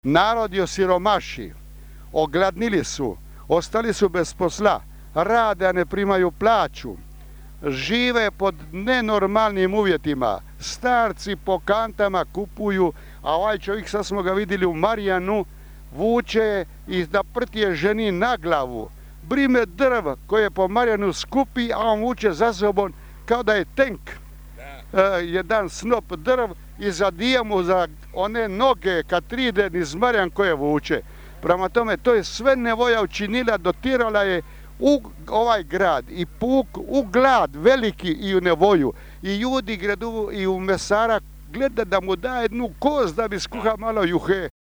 Narod je osiromaši, ogladnili su, ostali su bez posla, rade, a ne primaju plaću, žive pod nenormalnim uvjetima, starci po kantama kupuju, a ovaj čovjek, sad smo ga vidjeli u Marjanu, vuče i da prtije ženi na glavu. Brime drv koje je po Marjanu skupi, a on vuče za sobom kao da je tank. Jedan snop drv i zadija mu za one noge kad pride niz Marjan koje vuče. Prema tome, to je sve nevolja učinila, dotirala je u ovaj grad i puk u glad veliki i u nevolju. I ljudi gredu i u mesara gleda da mu da jednu kost da bi skuha malo juhe.